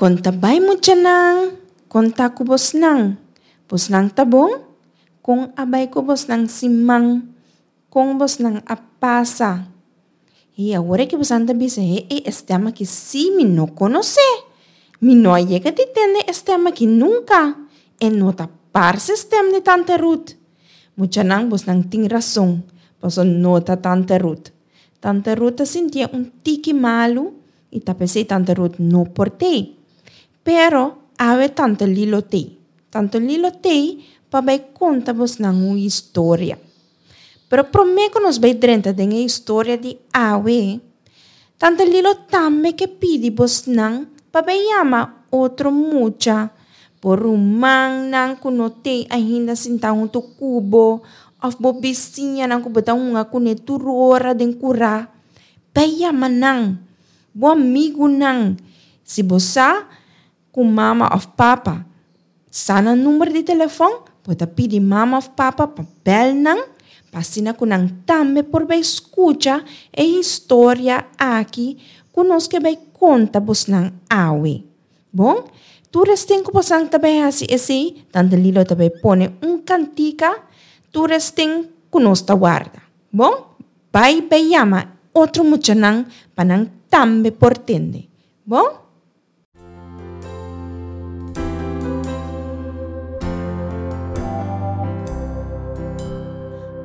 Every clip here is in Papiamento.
Kon ta bai muchanan? Kon ta ku bosnan? Bosnan ta bon? Kon a bai ku bosnan siman? Kon bosnan a pasa? I awor ki bosnan ta bisa, he e stèm aki sí mi no konosé. Mi no a yega di tende e stèm aki nunka. E no ta parse stèm di Tante Ruth. Muchanan, bosnan tin rason, pasobra no ta Tante Ruth. Tante Ruth ta sintié un tiki malu i ta p'esei Tante Ruth no por tei. Pero awe Tante Lilo tei. Tante Lilo tei pa bai konta bosnan un historia. Pero promé ku nos bai drenta den e historia di awe, Tante Lilo tambe ke pidi bosnan pa bai yama otro mucha, bo rumannan ku no tei ainda sintá huntu ku bo òf bo bisiñanan ku bo ta hunga kuné tur ora den kurá. Bai yama nan, bo amigunan. Si bo sa ku mama òf papa sa nan number di telefòn, bo ta pidi mama òf papa pa bèl nan pa asina ku nan tambe por bai skucha e historia aki ku nos ke bai konta bosnan awe. Bon, tur esten ku bosan ta bai hasi esei, Tante Lilo ta bai pone un kantika tur esten ku nos ta warda. Bon, bai bai yama otro muchanan pa nan tambe por tende. Bon?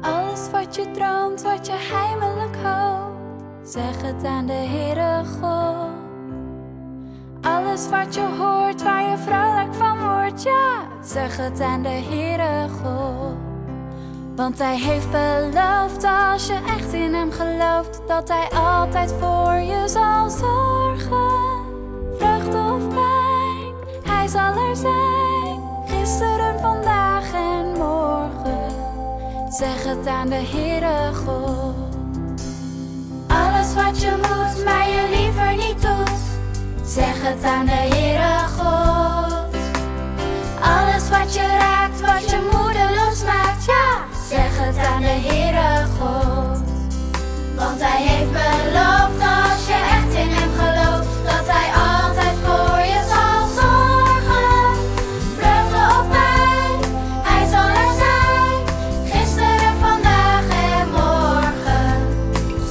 Alles wat je droomt, wat je heimelijk hoopt, zeg het aan de Heere God. Alles wat je hoort, waar je vrolijk van wordt, ja, zeg het aan de Heere God. Want Hij heeft beloofd, als je echt in Hem gelooft, dat Hij altijd voor je zal zorgen. Vreugde of pijn, Hij zal er zijn. Gisteren, vandaag en morgen. Zeg het aan de Heere God. Alles wat je moet, maar je liever niet doet. Zeg het aan de Heere God. Alles wat je raakt, wat je moedeloos maakt, ja, zeg het aan de Heere God. Want Hij heeft beloofd, als je echt in Hem gelooft, dat Hij altijd voor je zal zorgen. Vreugde of pijn, Hij zal er zijn. Gisteren, vandaag en morgen.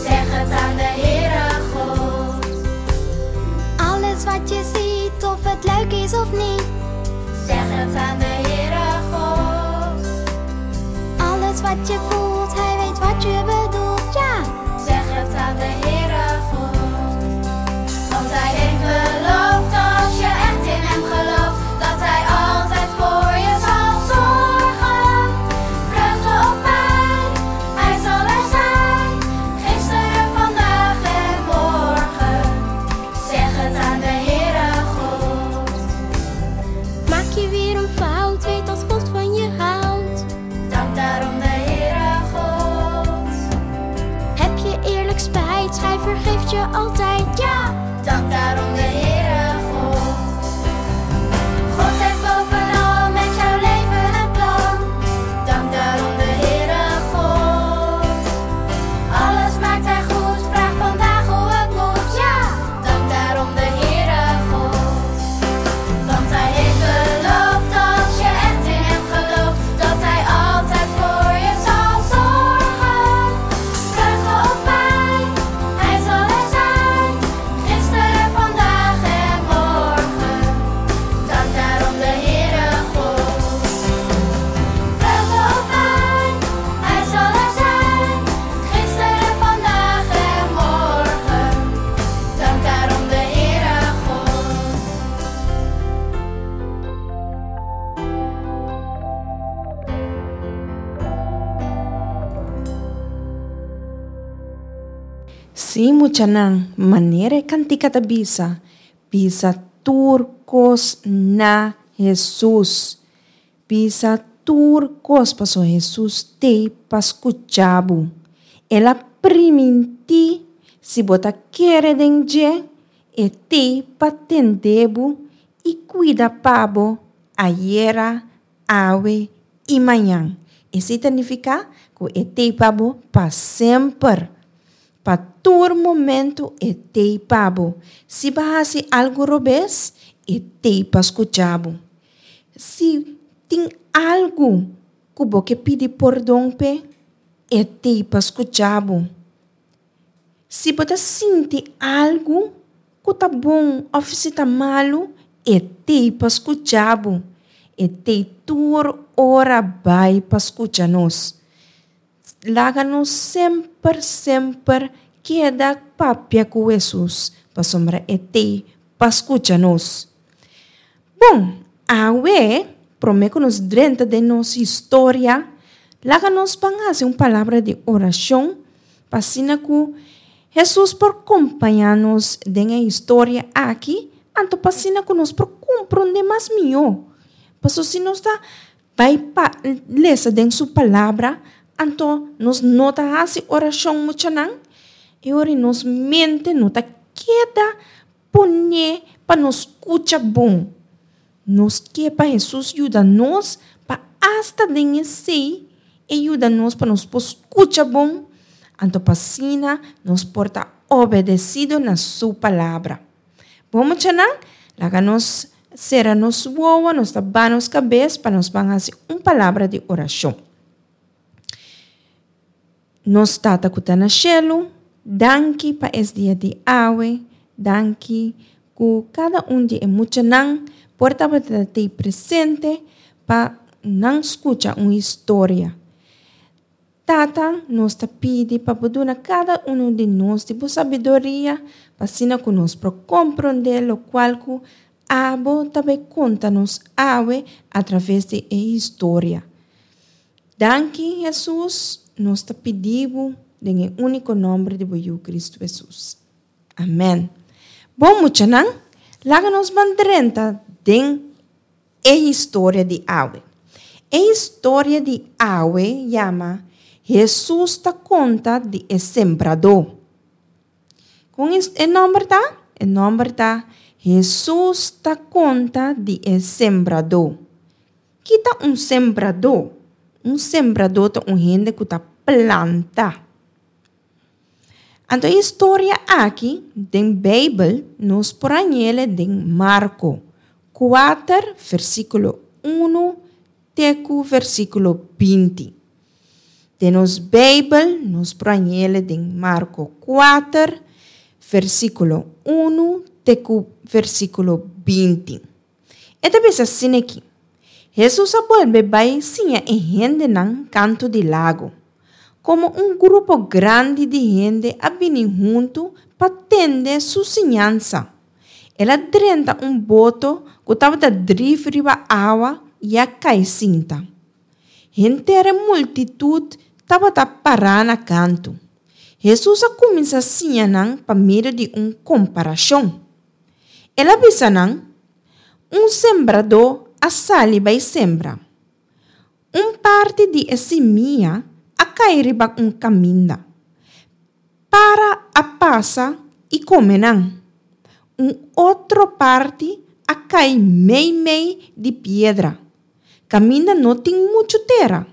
Zeg het aan de Heere God. Alles wat je ziet, of het leuk is of niet. Zeg het aan de Heere God. Alles wat je voelt, hij weet wat je bedoelt, ja. Zeg het aan de Heere God. Want Hij heeft beloofd, als je echt in Hem gelooft, dat Hij altijd voor je zal zorgen. Vreugde of pijn, Hij zal er zijn. Gisteren, vandaag en morgen. Zeg het aan de Heere God. Maak je weer een fout, weet dat God van je houdt. Dank daarom de Heere God. Heb je eerlijk spijt, hij vergeeft je altijd, ja. Dank daarom de Heere God. God heeft bovenal met jouw leven een plan. Dank daarom de Heere God. Alles maakt Hij goed, vraag vandaag hoe het moet. Ja, dank daarom de Heere God. Want Hij heeft beloofd, als je echt in Hem gelooft, dat Hij altijd voor je zal zorgen. Vreugde of pijn, Hij zal er zijn. Gisteren, vandaag en morgen. Dank daarom de Heere God. Vreugde of pijn, Hij zal er zijn. Gisteren, vandaag en morgen. Dank daarom de Heere God. Sí, muchanan, manera e kantika ta bisa, Bisa tur kos na Hesus. Bisa tur kos pasobra Hesus t'ei pa skucha bo. El a primintí si bo ta kere den dje, e t'ei pa tende bo i kuida pa bo ayera, awe i mañan. Esei ta nifiká ku e t'ei pa bo pa semper. Pa tur momentu e t'ei pa bo. Si bo a hasi algu robes, E t'ei pa skucha bo. Si tin algu ku bo ke pidi pordon p'e, e t'ei pa skucha bo. Si bo ta sinti algu ku ta bon òf si ta malu, e t'ei pa skucha bo. E t'ei tur ora bai pa skucha nos. Laga nos semper semper keda papia ku Hesus, pasobra e t'ei pa skucha nos. Bon, awe, promé ku nos drenta den nos historia, laga nos ban hasi un palabra di orashon pa asina ku Hesus por kompañá nos den e historia aki, anto pa asina ku nos por komprondé mas mihó. Pasobra si nos ta Bai pa lesa den su palabra, anto nos no ta hasi orashon muchanan, e ora nos mente no ta keda poné pa nos skucha bon. Nos ke pa Hesus yuda nos pa asta den esei e yuda nos pa nos por skucha bon, anto pa asina nos por ta obedesido na su palabra. Bon muchanan, laga nos sera nos wowo, nos ta ba nos kabes pa nos ban hasi un palabra di orashon. Nos Tata ku ta na shelu, danki pa es dia di awe, danki ku kada un di e muchanan por tabata tei presente pa nan skucha un historia. Tata, nos ta pidi pa bo duna kada unu di nos di bo sabiduria, pa asina ku nos por komprondé lokual ku abo ta bai konta nos awe atraves di e historia. Danki, Hesus, nos ta pidi bo den e úniko nòmber di bo Yu Kristu Hesus. Amèn. Bon muchanan, laga nos ban drenta den E historia di awe. E historia di awe yama Hesus ta konta di e sembradó. Kon e nòmber ta? E nòmber ta Hesus ta konta di e sembradó. Ki ta un sembradó? Un sembradó ta un hende ku ta planta. Anto e historia aki den Beibel nos por hañ'el den Marko kuater versíkulo unu te ku versíkulo 20. Den nos Beibel nos por hañ'el den Marko kuater versíkulo unu te ku versíkulo 20. E ta bisa asina aki, Hesus a bolbe bai siña e hendenan kantu di lago. Komo un grupo grandi di hende a bini huntu pa tende su siñansa, el a drenta un boto ku tabata drif riba awa i a kai sinta. Henter e multitut tabata pará na kantu. Hesus a kuminsá siña nan pa medio di un komparashon. El a bisa nan, Un sembradó a sali bai sembra. Un parti di e simia a kai riba un kaminda. Para a pasa i kome nan. Un otro parti a kai meimei di piedra, kaminda no tin muchu tera.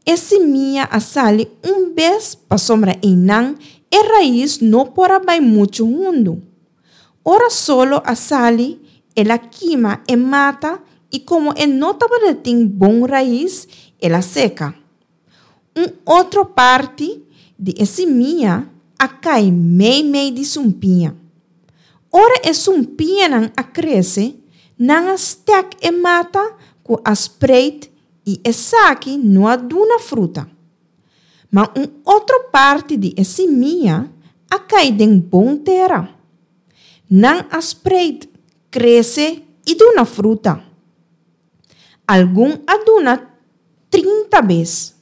E simia a sali un bes pasobra einan e rais no por a bai muchu hundu. Ora solo a sali, el a kima e mata i komo e no tabata tin bon rais, el a seka. Un otro parti di e simia a kai meimei di sumpiña. Ora e sumpiñanan a krese, nan a stek e mata ku a spreit i esaki no a duna fruta. Ma un otro parti di e simia a kai den bon tera. Nan a spreid, krese i duna fruta. Algun a duna 30 bes,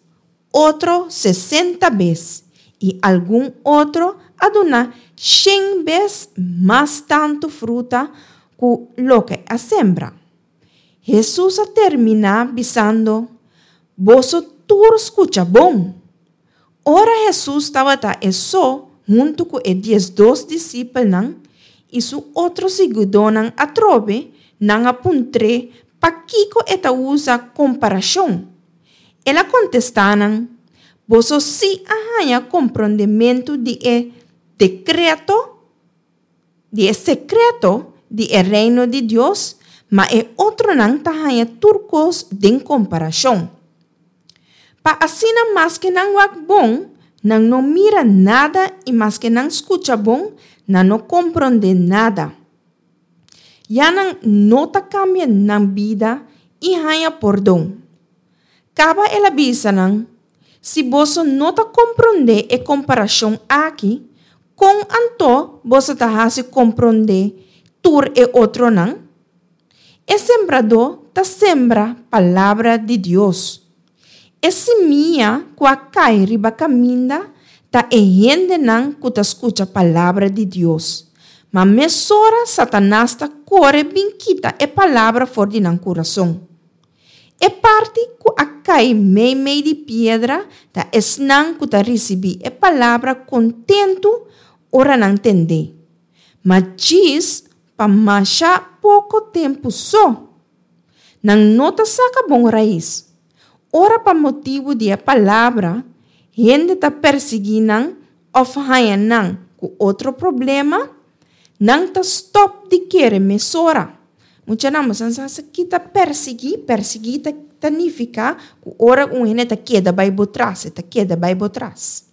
otro 60 bes i algun otro a duna shen bes mas tantu fruta ku loke a sembra. Hesus a terminá bisando, Boso tur skucha bon. Ora Hesus tabata e so huntu ku e 12 disipelnan i su otro siguidónan atrobe, nan a puntr'é pakiko e ta usa komparashon. El a kontestá nan, Boso sí a haña komprondementu di e dekreto, di e sekreto. di e reino di Dios, ma e otronan ta haña tur kos den komparashon. Pa asina maske nan wak bon, nan no mira nada i maske nan skucha bon, nan no komprondé nada. Ya nan no ta kambia nan bida i haña pordon. Kaba el a bisa nan, Si boso no ta komprondé e komparashon aki, kon anto boso ta hasi komprondé tur e otronan? E sembradó ta sembra palabra di Dios. E simia ku a kai riba kaminda ta e hendenan ku ta skucha palabra di Dios, ma mesora Satanas ta kore bin kita e palabra for di nan kurason. E parti ku a kai meimei di piedra ta esnan ku ta risibí e palabra kontentu ora nan tend'é, ma djis pa masha poko tempu so. Nan no ta saka bon rais. Ora pa motibu di e palabra hende ta persiguí nan òf haña nan ku otro problema, nan ta stòp di kere mesora. Muchanan, boso sa sa ki ta persiguí? Persiguí ta ta nifiká ku ora un hende ta keda bai bo tras, e ta keda bai bo tras.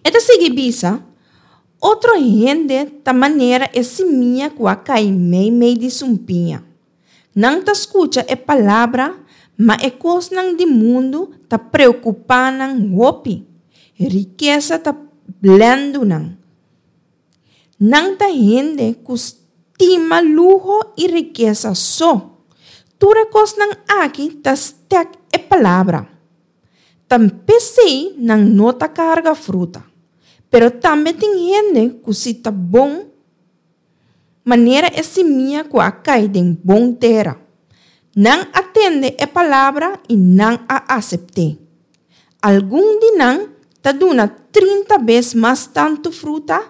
E ta sigui bisa, Otro hende ta manera e simia ku a kai meimei di sumpiña. Nan ta skucha e palabra, ma e kosnan di mundu ta preokupá nan hopi. Rikesa ta blèndu nan. Nan ta hende ku stima luho i rikesa so. Tur e kosnan aki ta stèk e palabra. Ta p'esei nan no ta karga fruta. Pero tambe tin hende ku si ta bon. Manera e simia ku a kai den bon tera. Nan a tende e palabra i nan a asept'é. Algun di nan ta duna 30 bes mas tantu fruta,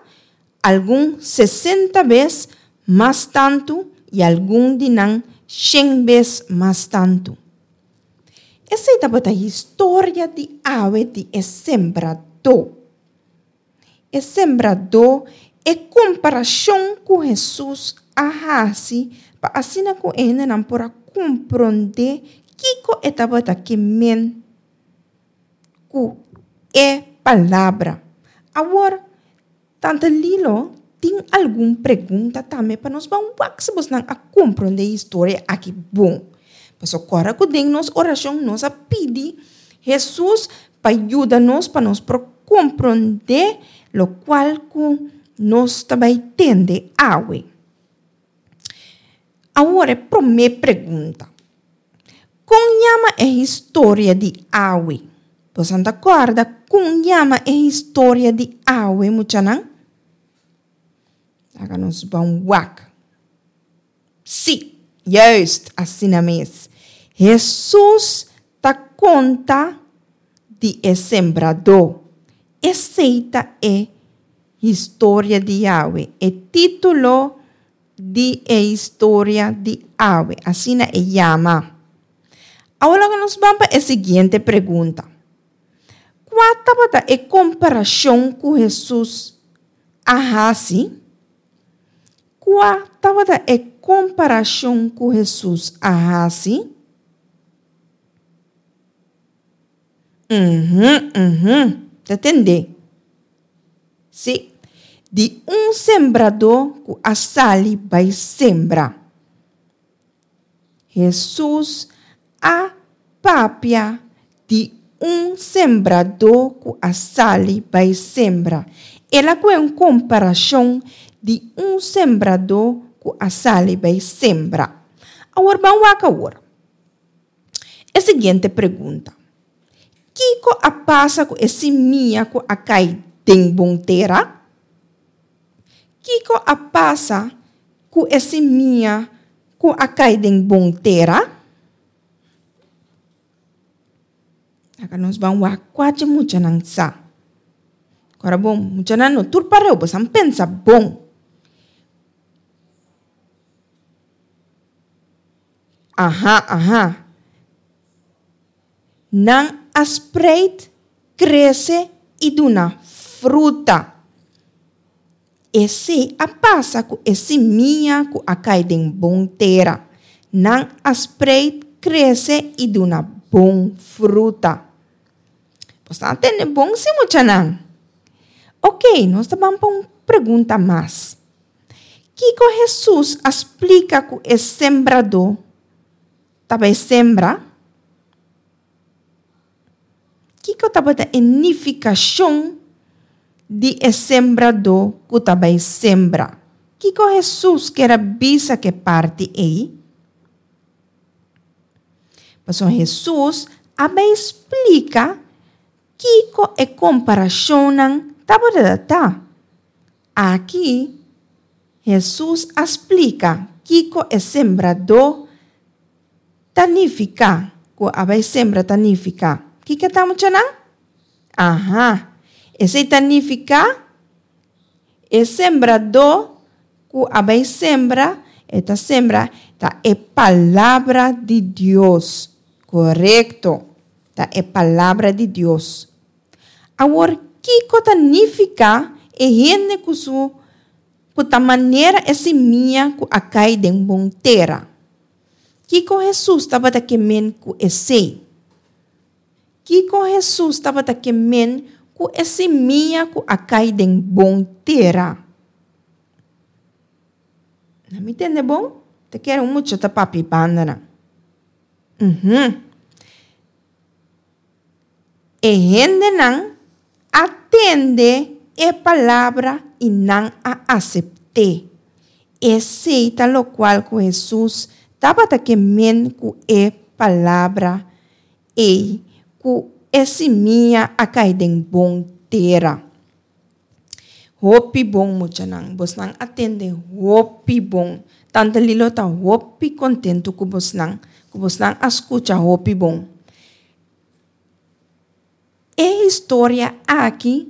algun 60 bes mas tantu i algun di nan shen bes mas tantu. Esei tabata historia di awe di e sembradó. E sembradó, e komparashon ku Hesus a hasi pa asina ku e hendenan por a komprondé kiko e tabata ke men ku e palabra. Awor, Tante Lilo tin algun pregunta tambe pa nos ban wak si bosnan a komprondé e historia aki bon. Pasobra kòrda ku den nos orashon nos a pidi Hesus pa yuda nos pa nos por komprondé lokual ku nos ta bai tende awe. Awor e promé pregunta, Kon yama e historia di awe? Boso ta kòrda kon yama e historia di awe, muchanan? Laga nos ban wak. Sí, juist, asina mes. Hesus ta konta di e sembradó. Esei ta e historia di awe, e título di e historia di awe, asina e yama. Awor laga nos ban pa e siguiente pregunta. Kua tabata e komparashon ku Hesus a hasi? Kua tabata e komparashon ku Hesus a hasi? Uhum, uhum, ta tendé. Sí, di un sembradó ku a sali bai sembra. Hesus a papia di un sembradó ku a sali bai sembra. El a kohe un komparashon di un sembradó ku a sali bai sembra. Awor ban wak awor e siguiente pregunta, Kiko a pasa ku e simia ku a kai den bon tera? Kiko a pasa ku e simia ku a kai den bon tera? Laga nos ban wak kua dje muchanan sa. Ora bon, muchanan no tur pareu, boso a pensa bon. Aha, aha. Nan a spreid, krese i duna fruta. Esei a pasa ku e simia ku a kai den bon tera. Nan a spreit, krese i duna bon fruta. Bo sa tende bon si muchanan? Oké, nos ta ban pa un pregunta mas. Kiko Hesus a splika ku e sembradó ta bai sembra? Kiko tabata e nifikashon di e sembradó ku ta bai sembra? Kiko Hesus ker a bisa ku e parti ei? Pasobra Hesus a bai splika kiko e komparashonnan tabata ta. Aki Hesus a splika kiko e sembradó Ta nifiká ku a bai sembra ta nifiká kiko ta muchanan? Aha, esei ta nifiká e sembradó ku a bai sembra, e ta sembra ta e palabra di Dios. Korekto, ta e palabra di Dios. Awor kiko ta nifiká e hende ku su ku ta manera e simia ku a kai den bon tera? Kiko Hesus tabata ke men ku esei? Kiko Hesus tabata ke men ku e simia ku a kai den bon tera? Na mi tende bon? Ta kere un mucha ta papia e bandanan. Uhum. E hendenan a tende e palabra i nan a asept'é. Esei ta lokual ku Hesus tabata ke men ku e palabra ei ku e simia a kai den bon tera. Hopi bon muchanan, bosnan a tende hopi bon. Tante Lilo ta hopi kontentu ku bosnan, ku bosnan a skucha hopi bon. E historia aki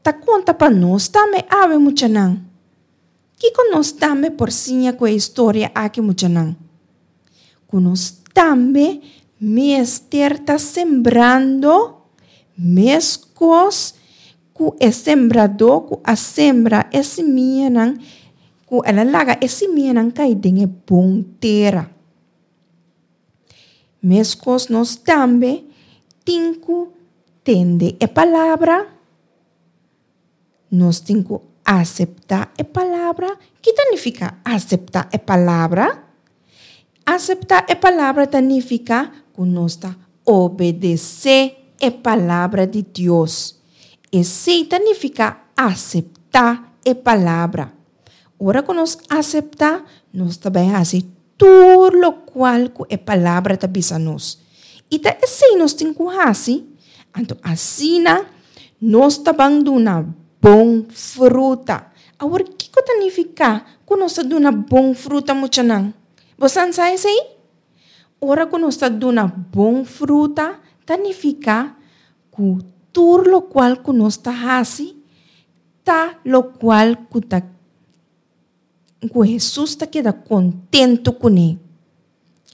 ta konta pa nos tambe awe muchanan. Kiko nos tambe por siña ku e historia aki muchanan? Ku nos tambe mester ta sembrando meskos ku e sembradó ku a sembra e simianan, ku el a laga e simianan kai den e bon tera. Meskos nos tambe tin ku tende e palabra, nos tin ku aseptá e palabra. Ki ta nifiká aseptá e palabra? Aseptá e palabra ta nifiká ku nos ta obedesé e palabra di Dios. Esei ta nifiká aseptá e palabra. Ora ku nos aseptá, nos ta bai hasi tur lokual ku e palabra ta bisa nos. I ta esei nos tin ku hasi, anto asina nos ta ban duna bon fruta. Awor kiko ta nifiká ku nos ta duna bon fruta muchanan? Bo san sa esei? Ora ku nos ta duna bon fruta ta nifiká ku tur lokual ku nos ta hasi ta lokual ku ta ku Hesus ta keda kontentu kuné.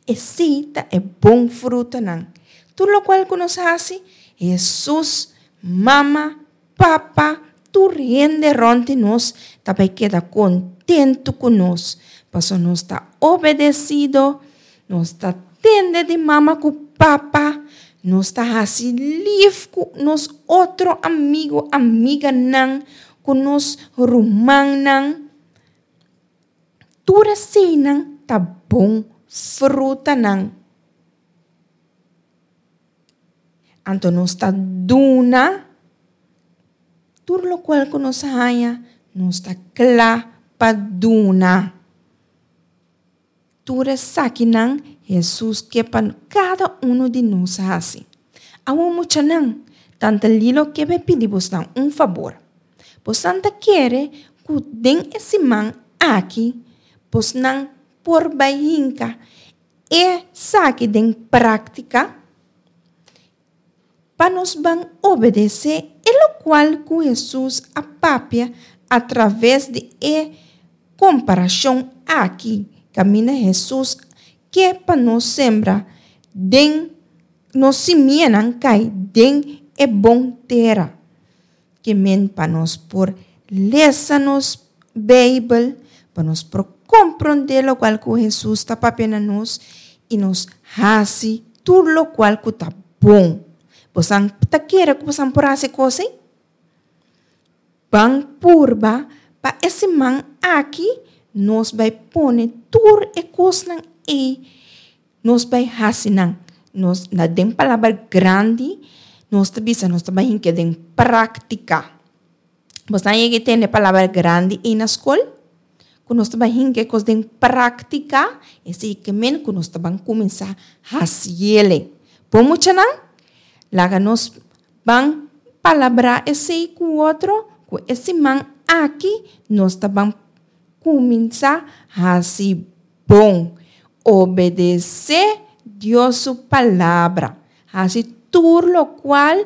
Esei ta e bon frutanan. Tur lokual ku nos hasi, Hesus, mama, papa, tur hende rònt di nos ta bai keda kontentu ku nos, pasobra nos ta obedesido, nos ta tende di mama ku papa, nos ta hasi lif ku nos otro amigu, amiganan, ku nos rumannan. Tur eseinan ta bon frutanan. Anto nos ta duna tur lokual ku nos haña, nos ta kla pa duna. Tur esakinan Hesus ke pa kada unu di nos hasi. Awor muchanan, Tante Lilo ke be pidi bosnan un fabor. Bosnan ta kere ku den e siman aki bosnan por bai hinka esaki den práktika pa nos ban obedesé e lokual ku Hesus a papia atraves di e komparashon aki kaminda Hesus ke pa nos sembra den nos simianan kai den e bon tera. Ke men pa nos por lesa nos. Beibel pa nos por komprondé lokual ku Hesus ta papia na nos i nos hasi tur lokual ku ta bon. Bosan ta kere ku bosan por hasi kos ei? Ban purba pa e siman aki nos bai pone tur e kosnan ei nos bai hasi nan. Nos na den palabra grandi nos ta bisa nos ta bai hinka den práktika. Bosnan yega e tende palabra grandi ei na skol? Ku nos ta bai hinka e kos den práktika, esei ke men ku nos ta ban kuminsá hasiele. Bo muchanan, laga nos ban palabrá esei ku otro ku e siman aki nos ta ban kuminsá hasi bon. Obedesé Dios su palabra. Hasi tur lokual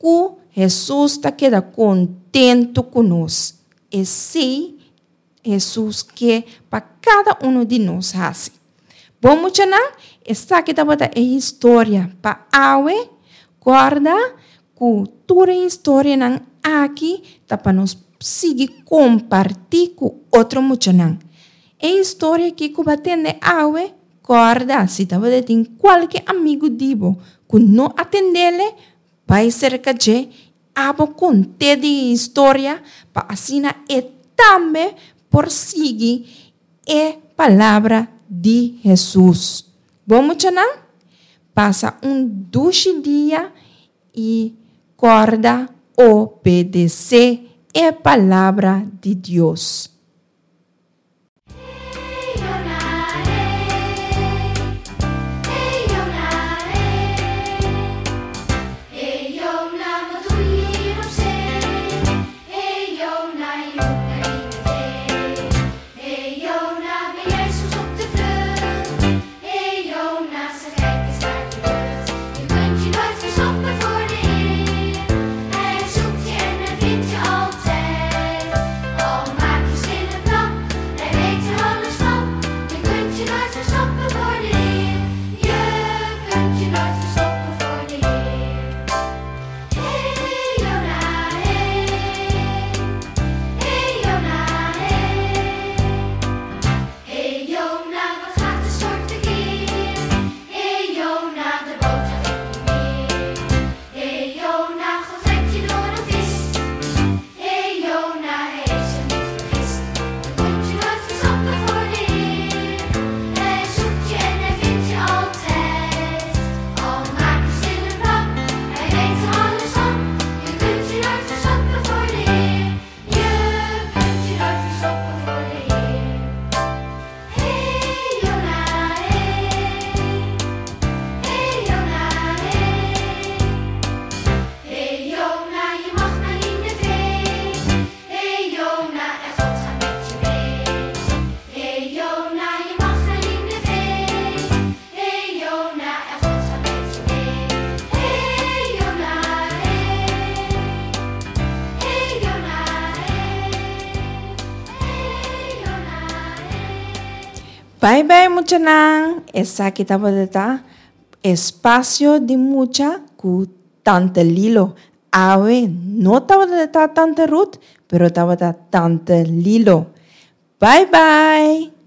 Ku Hesus ta keda kontentu ku nos. Esei Hesus ke pa kada unu di nos hasi. Bon muchanan, esaki tabata e historia pa awe. Kòrda ku tur e historianan aki ta pa nos sigui kompartí ku otro muchanan. E historia aki ku bo a tende awe, kòrda si tabata tin kualke amigu di bo ku no a tendele, Bai serka dje, abo kont'é di e historia pa asina e tambe por sigui e palabra di Hesus. Bon muchanan, pasa un dushi dia i kòrda obedesé e palabra di Dios. Bai bai muchanan, esaki tabata ta Espacio di Mucha ku Tante Lilo. Awe no tabata ta Tante Ruth, pero tabata Tante Lilo. Bai bai!